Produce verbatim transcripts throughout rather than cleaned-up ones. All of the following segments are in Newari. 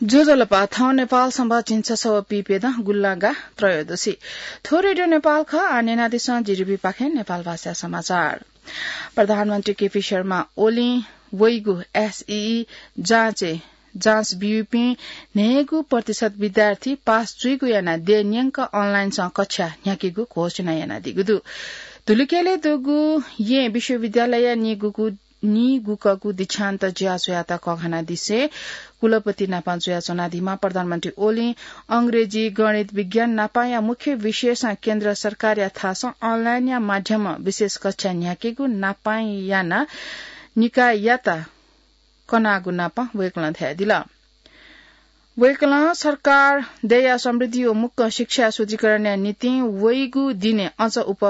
ज्वजलपा, थौं नेपाल संवत् झिंछसः व पीप्यदँ गुंलागा त्रयोदशी। थ्व रेडियो नेपाल खः, आः न्यनादिसँ जीडीबी पाखें नेपाल भाषा समाचार। प्रधानमन्त्री केपी शर्मा ओलीं वइगु एसईई जाँचय् जाँच ब्यूपिं न्हय्गू प्रतिशत विद्यार्थी पास जुइगु यानाः देय् न्यंक अनलाइनसं कक्षा न्ह्याकेगु घोषणा यानादीगु दु। धुलिखेलय् दुगु येँ विश्वविद्यालयया निगूगु निगुकगु दीक्षान्त ज्याझ्वःयात कःघानादिसें कुलपति नाप जुयाच्वनादीम्ह प्रधानमन्त्री ओलीं अंग्रेजी, गणित, विज्ञान नापया मुख्य विषयसं केन्द्र सरकारया थासं अनलाइनया माध्यमं विशेष कक्षा न्ह्याकेगु नाप यानाः निकाययात कनागु नाप वय्कलं धयादिल। वय्कलं सरकार देय्या समृद्धि व मुक्कं शिक्षा सुदृढीकरणया निंतिं वइगु दिनय् अझ उप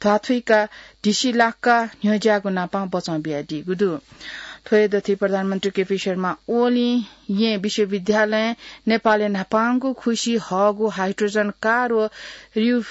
ध्वाथुइकाः ढिसि लाक्क न्ह्यज्याःगु नाप बचं बियादीगु दु। थ्व हे दथुइ प्रधानमन्त्री केपी शर्मा ओलीं येँ विश्वविद्यालयं नेपालय् न्हापांगु खुसि हःगु हाइड्रोजन कार व रियु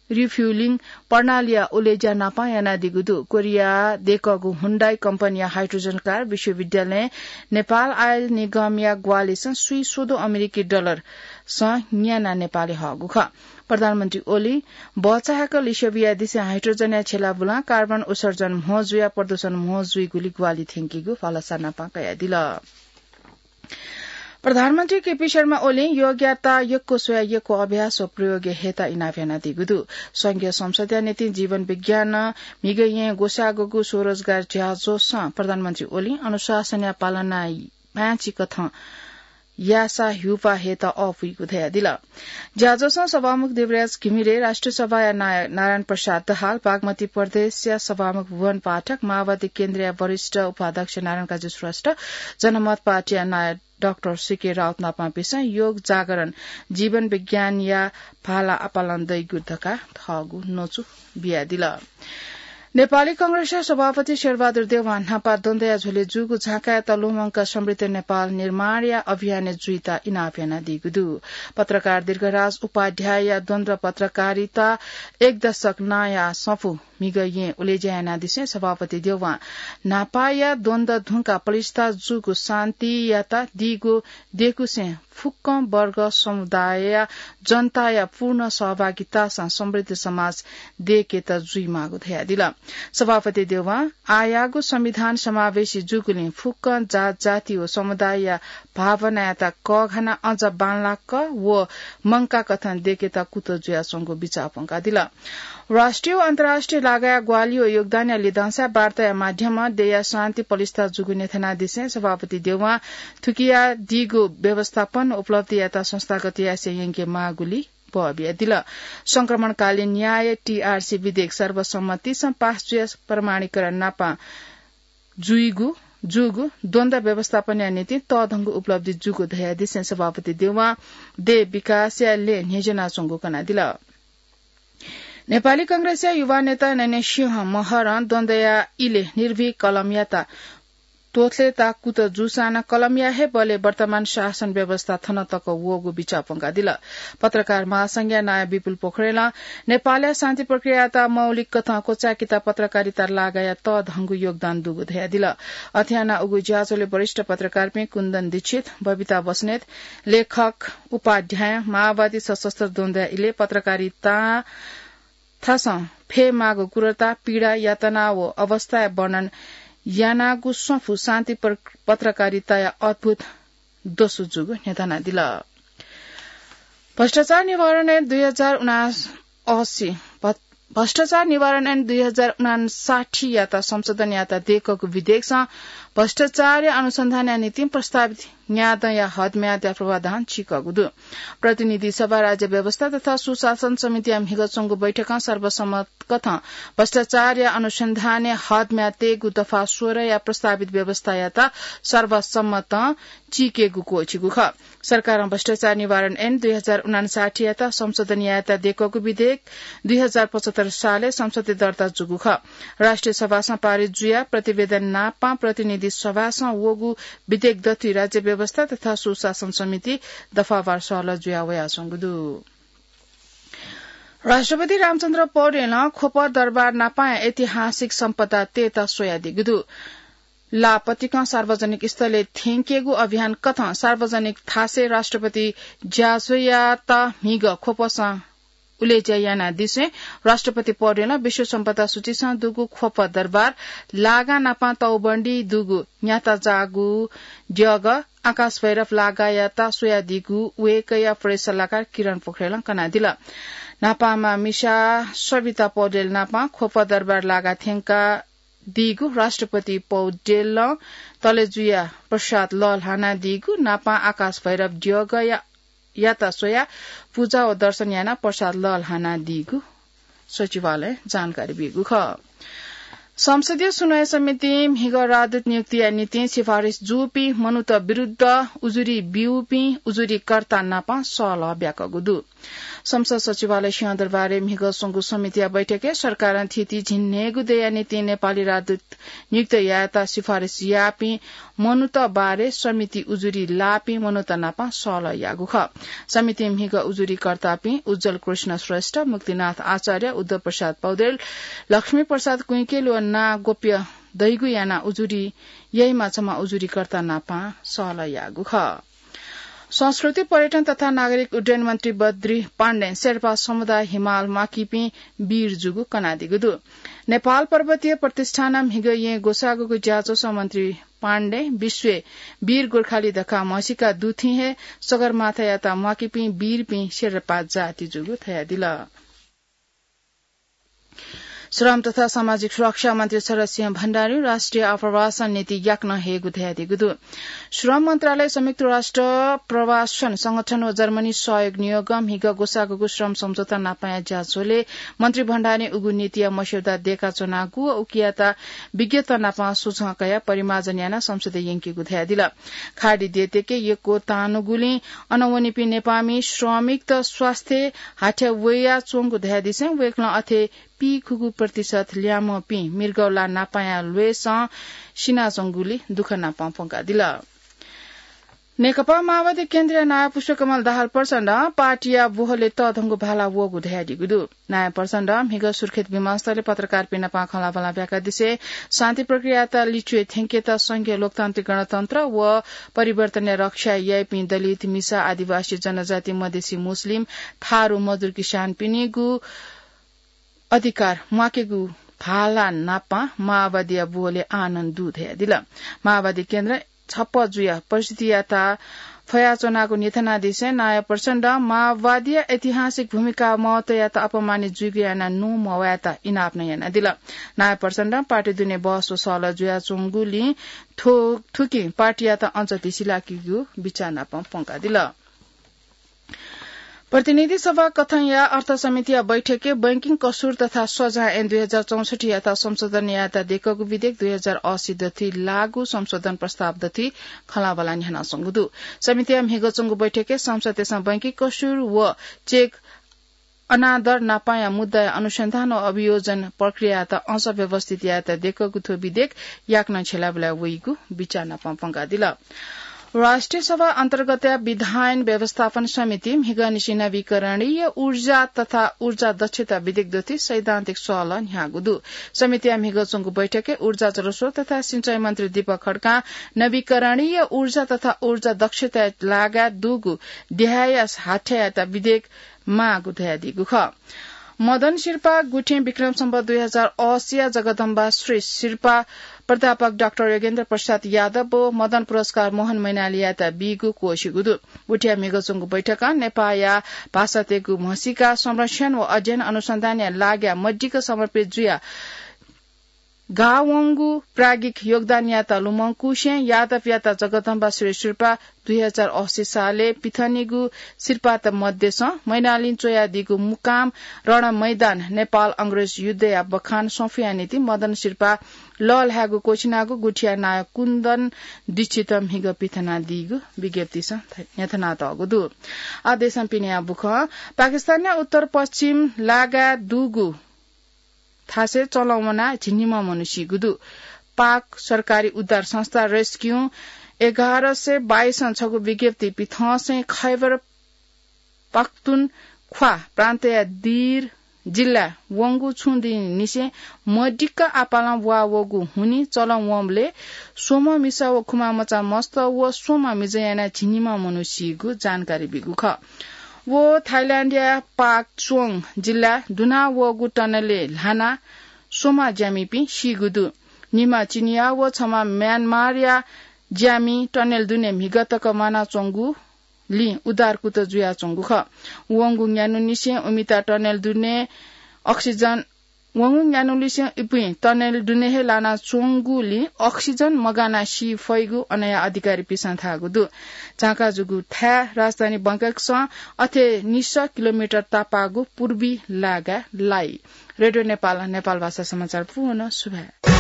रिफ्युलिङ प्रणालीया उलेज्या नाप यानादीगु दु। कोरिया देकःगु हुन्डाई कम्पनीया हाइड्रोजन कार विश्वविद्यालयं नेपाल आयल निगमया ग्वाहालिसं स्वीस्वदँ अमेरिकी डलरसं न्यानाः नेपालय् हःगु खः। प्रधानमन्त्री ओलीं भचा हाकः लिसे बियादिसें हाइड्रोजनया छेला बुलां कार्बन उत्सर्जन म्हो जुयाः प्रदूषण म्हो जुइगुलि ग्वाहालि थ्यंकीगु भलसा नाप कयादिल। प्रधानमन्त्री केपी शर्मा ओलीं योगयात यक्व स्वयाः यक्व अभ्यास व प्रयोगय् हयेत इनाप यानादीगु दु। संघीय संसदया निंतिं जीवन विज्ञानं म्हिगः येँय् ग्वसाःगु स्वरोजगार ज्याझ्वलय् प्रधानमन्त्री ओलीं अनुशासनया पालना पाय्‌छि कथं याःसा ह्यूपाः हयेत अःपुइगु धयादिल। ज्याझ्वलय् सभामुख देवराज घिमिरे, राष्ट्रिय सभाया नायः नारायण प्रसाद दाहाल, बागमती प्रदेशया सभामुख भुवन पाठक, माओवादी केन्द्रया वरिष्ठ उपाध्यक्ष नारायण काजी श्रेष्ठ, जनमत पार्टीया नायः डाक्टर सीके राउत नापं पिसं योग जागरण जीवन विज्ञानया भाला आपालं दइगु धकाः थःगु न्वचु बियादिल। नेपाली कांग्रेसया सभापति शेरबहादुर देउवां न्हापा द्वन्द्वया झ्वलय् जूगु झाँकायात लुमंकाः समृद्ध नेपाल निर्माणया अभियानय् जुइत इनाप यानादीगु दु। पत्रकार दीर्घराज उपाध्यायया द्वन्द्व पत्रकारिता एक दशक नांया सफू म्हिगः येँ उलेज्या यानादिसें सभापति देउवां न्हापाया द्वन्द्व धुंकाः पलिस्था जूगु शान्तियात दीगु देकुसें फुक्कं वर्ग समुदायया जनताया पूर्ण सहभागितासं समृद्ध समाज देकेत जुइमाःगु धयादिल। सभापति देउवां आःयागु संविधान समावेशी जूगुलिं फुक्कं जात जाति व समुदायया भावनायात कःघानाः अझ बांलाक व मंकाकथं देकेत कुतः जुयाच्वंगु बिचाः प्वंकादिल। राष्ट्रिय व अन्तर्राष्ट्रिय लागाया ग्वाहालि व योगदानया लिधंसाय् वार्ताया माध्यमं देय्‌या शान्ति पलिस्था जूगु न्ह्यथनादिसें सभापति देउवां थुकियादीगु व्यवस्थापन उपलब्धियात संस्थागत यासें यंकेमाःगुलि बः बियादिल। संक्रमणकालीन न्याय टीआरसी विधेयक सर्वसम्मतिसं पास जुयाः प्रमाणीकरण नापं जुइगु जूगु द्वन्द्व व्यवस्थापनया निंतिं तःधंगु उपलब्धि जूगु धयादिसें सभापति देउवां देय् विकासया लँय् न्ह्यज्यानाच्वंगु कनादिल। नेपाली कांग्रेसया युवा नेता नयनसिंह महरं द्वन्द्वया इलय् निर्भीक कलमयात त्वथलेत कुतः जूसां नं कलमया हे बलय् वर्तमान शासन व्यवस्था थन तक वःगु बिचाः प्वंकादिल। पत्रकार महासंघया नायः विपुल पोखरेलं नेपालया शान्ति प्रक्रियायात मौलिक कथं क्वचायेकेत पत्रकारिता लागाया तःधंगु योगदान दुगु धयादिल। अथे यानाः उगु ज्याझ्वलय् वरिष्ठ पत्रकारपिं कुन्दन दीक्षित, बबिता बस्नेत, लेखक, उपाध्यायं माओवादी सशस्त्र द्वन्द्वया इलय् पत्रकारिता थासं फयेमाःगु क्रूरता, पीडा, यातना व अवस्थाया वर्णन यानागु सफू शान्ति प्र-, पत्रकारिताया अद्भुत दसु जूगु न्ह्यथनादिल। भ्रष्टाचार निवारण ऐन दुई हजार उनासी, भ-, भ्रष्टाचार निवारण ऐन दुई हजार उनासाठीयात संशोधन यात देकःगु विधेयकसं भ्रष्टाचारया अनुसन्धानया निंतिं प्रस्तावित न्यादँया हदम्यादया पूर्वाधान चीकःगु दु। प्रतिनिधि सभा, राज्य व्यवस्था तथा सुशासन समितिया म्हिगः च्वंगु बैठकं सर्वसम्मत कथं भ्रष्टाचारया अनुसन्धानय् हदम्याद तयेगु दफा सोह्रया प्रस्तावित व्यवस्थायात सर्वसम्मतं चीकेगु क्वःछिगु खः। सरकारं भ्रष्टाचार निवारण ऐन दुई हजार उनासाठीयात संशोधन यायेत देकःगु विधेयक दुई हजार पचहत्तर सालय् संसदय् दर्ता जूगु खः। राष्ट्रिय सभासं पारित जुयाः प्रतिवेदन नापं प्रतिनिधि सभासं वःगु विधेयक दथुइ राज्य व्यवस्था तथा सुशासन समिति दफावार सहलह जुया वयाच्वंगु दु। राष्ट्रपति रामचन्द्र पौडेलं ख्वप दरबार नापं ऐतिहासिक सम्पदा तयेत स्वयादीगु दु। लापतिकं सार्वजनिक स्थलय् थ्यंकेगु अभियान कथं सार्वजनिक थासय् राष्ट्रपति ज्याझ्वःयात म्हिगः ख्वपसं उलेज्या यानादिसें राष्ट्रपति पौडेलं विश्व सम्पदा सूचीसं दुगु ख्वप दरबार लागा नापं तौबन्दी दुगु न्याताजाःगु द्यःगः आकाश भैरव लागायात स्वयादीगु वय्कःया प्रेस सल्लाहकार किरण पोखरेलं कनादिल। न्हापांमा मिसा सविता पौडेल नापं ख्वप दरबार लागा थ्यंका दीगु राष्ट्रपति पौडेलं तलेजुया प्रसाद लःल्हानादीगु नापं आकाश भैरव द्यःगःया, यात स्वयाः पुजा व दर्शन यानाः प्रसाद लःल्हानादीगु सचिवालयं जानकारी ब्यूगु खः। संसदीय सुनवाई समितिं म्हिगः राजदूत नियुक्तिया निंतिं सिफारिस जूपिं मनूत विरुद्ध उजुरी ब्यूपिं उजुरीकर्ता नापं सहलह ब्याकूगु दु। संसद सचिवालय सिंहदरबारय् म्हिगः स्वंगु समितिया बैठकय् सरकारं थीथी झिंन्हय्गू दँया निंतिं नेपाली राजदूत नियुक्त यायेत सिफारिस याःपिं मनूत बारे समिति उजुरी लाःपिं मनूत नाप सहलह याःगु खः। समितिं म्हिगः उजुरीकर्तापिं उज्ज्वल कृष्ण श्रेष्ठ, मुक्तिनाथ आचार्य, उद्धव प्रसाद पौडेल, लक्ष्मी प्रसाद कुइकेल व नां गोप्य दइगु यानाः उजुरी याइम्ह छम्ह उजुरीकर्ता नाप सहलह याःगु खः। संस्कृति, पर्यटन तथा नागरिक उड्डयन मन्त्री बद्री पाण्डें शेर्पा समुदाय हिमाल म्वाकीपिं वीर जूगु कनादीगु दु। नेपाल पर्वतीय प्रतिष्ठानं म्हिगः येँ ग्वसाःगुगु ज्याझ्वलय् मन्त्री पाण्डें विश्वय् वीर गोर्खाली धकाः म्हसीका दुथुइ हे सगरमाथायात म्वाकीपिं वीरपिं शेर्पा जाति जूगु धयादिल। श्रम तथा सामाजिक सुरक्षा मन्त्री शरद सिंह भण्डारीं राष्ट्रिय आप्रवासन नीति याकनं हयेगु धयादीगु दु। श्रम मन्त्रालय संयुक्त राष्ट्र प्रवासन संगठन व जर्मनी सहयोग नियोगं म्हिगः ग्वसाःगुगु श्रम सम्झौता नापंया ज्याझ्वलय् मन्त्री भण्डारीं उगु नीतिया मस्यौदा दय्काच्वनागु व उकियात विज्ञत नाप सुझं कयाः परिमार्जन यानाः संसदय् यंकीगु धयादिल। खाडी देय्‌तय्‌के यक्व तांन्वःगुलिं अन वनीपिं नेपाःमि श्रमिकत स्वास्थ्य हाथ्या वयाच्वंगु धयादिसें वय्‌कलं अथे पीखुगू प्रतिशत ल्याय्म्हपिं मृगौला नापंया ल्वय्सं सिनाच्वंगुली दुःख नाप प्वंकादिल। नेकपा माओवादी केन्द्रया नायः पुष्पकमल दाहाल प्रचण्डं पार्टीया बोहलय् तःधंगु भाला वःगु धयादीगु दु। नायः प्रचण्डं म्हिगः सुर्खेत विमानस्थलय् पत्रकारपिं नाप खँल्हाबल्हा ब्याकादिसें शान्ति प्रक्रियायात लिच्वय् थ्यंकेत संघीय लोकतान्त्रिक गणतन्त्र व परिवर्तनया रक्षा याइपिं दलित, मिसा, आदिवासी, जनजाति, मधेसी, मुस्लिम, थारु, मजदुर, किसानपिनिगु अधिकार म्वाकेगु भाला नाप माओवादीया बोहलय् आनन्द दु धयादिल। माओवादी केन्द्र छप्पँ जुयाः परिस्थितियात फयाच्वनागु न्ह्यथनादिसें नायः प्रचण्डं माओवादीया ऐतिहासिक भूमिका महत्वयात अपमानित जुइगु यानाः नुगः मवयेत इनाप नं यानादिल। नायः प्रचण्डं पार्टी दुने बहस व सहलह जुयाच्वंगुलिं थ्व-, थुकिं पार्टीयात अझ धिसिलाकीगु बिचाः नाप प्वंकादिल। प्रतिनिधि सभा कथंया अर्थ समितिया बैठकय् बैंकिङ कसूर तथा सजाँय ऐन दुई हजार चौसठ्ठीयात संशोधन यायेत दय्कःगु विधेयक दुई हजार असी दथुइ लागू संशोधन प्रस्ताव दथुइ खँल्हाबल्हा न्ह्यानाच्वंगु दु। समितिया म्हिगः च्वंगु बैठकय् सांसदतय्सं बैंकिङ कसूर व चेक अनादर नापंया मुद्दाया अनुसन्धान व अभियोजन प्रक्रियायात अझ व्यवस्थित यायेत दय्कःगु थ्व विधेयक याकनं छ्यलाबुलाय् वइगु बिचाः नाप प्वंकादिल। राष्ट्रिय सभा अन्तर्गतया विधायन व्यवस्थापन समितिं म्हिगःनिसें नवीकरणीय ऊर्जा तथा ऊर्जा दक्षता विधेयक दथुइ सैद्धान्तिक सहलह न्ह्याःगु दु। समितिया म्हिगः च्वंगु बैठकय् ऊर्जा, जलस्रोत तथा सिँचाइ मन्त्री दीपक खड्कां नवीकरणीय ऊर्जा तथा ऊर्जा दक्षताया लागाय् दुगु देहायया हाथ्यायात विधेयक माःगु धयादीगु खः। मदन सिरपाः गुथिं विक्रम सम्वत दुई हजार असीया जगदम्बा श्री सिरपाः प्राध्यापक डाक्टर योगेन्द्र प्रसाद यादव व मदन पुरस्कार मोहन मैनालीयात बीगु क्वःसिगु दु। गुथिया म्हिगः च्वंगु बैठकं नेपाःया भाषातय्गु म्हसीका संरक्षण व अध्ययन अनुसन्धानया लागाय् मदिक्क समर्पित जुयाः गाःवंगु प्राज्ञिक योगदानयात लुमंकुसें यादवयात जगदम्बा श्री सिरपाः दुई हजार असी सालय् पिथनेगु सिरपाःत मध्यसं मैनालीं च्वयादीगु मुकाम रणमैदान नेपाल अंग्रेज युद्धया बखान स्वफुया निंतिं मदन सिरपाः लःल्हायेगु क्वःछिनागु गुथिया नायः कुन्दन दीक्षितं म्हिगः पिथनादीगु विज्ञप्तिसं न्ह्यथनातःगु दु। आः देशं पिनेया बुखँ। पाकिस्तानया उत्तर पश्चिम लागाय् दुगु थासय् चलं वनाः झिंनिम्ह मनू सीगु दु। पाक सरकारी उद्धार संस्था रेस्क्यू एघार सय बाइसं छगू विज्ञप्ति पिथंसें खैबर पख्तुनख्वा प्रान्तया दीर जिल्ला वंगु छुं दिं निसें मदिक्क आपालं ब्वाः वःगु हुनिं चलं वंबलय् स्वम्ह मिसा व खुमा मचा मस्त व स्वम्ह मिजं यानाः झिंनिम्ह मनू सीगु जानकारी बीगु खः। व थाइल्याण्डया पाक चोङ जिल्ला दुना वःगु टनलय् ल्हानाः स्वम्ह ज्यामिपिं सीगु दु। निम्ह चिनियाः व छम्ह म्यानमारया ज्यामि टनेल दुने म्हिगः तक म्वानाच्वंगुलिं उद्धार कुतः जुयाच्वंगु खः। वंगु न्यान्हुनिसें उमित टनेल दुने अक्सिजन, वंगु न्यान्हुनिसें इपिं टनेल दुने हे लानाच्वंगुलिं अक्सिजन मगानाः सी फइगु अनया अधिकारीपिसं धाःगु दु। झांका जूगु थाय् राजधानी बैंककसं अथे निसः किलोमिटर तापाःगु पूर्वी लागाय् लाइ। रेडियो नेपाल, नेपाल भाषा समाचार पूवं सुभाय्।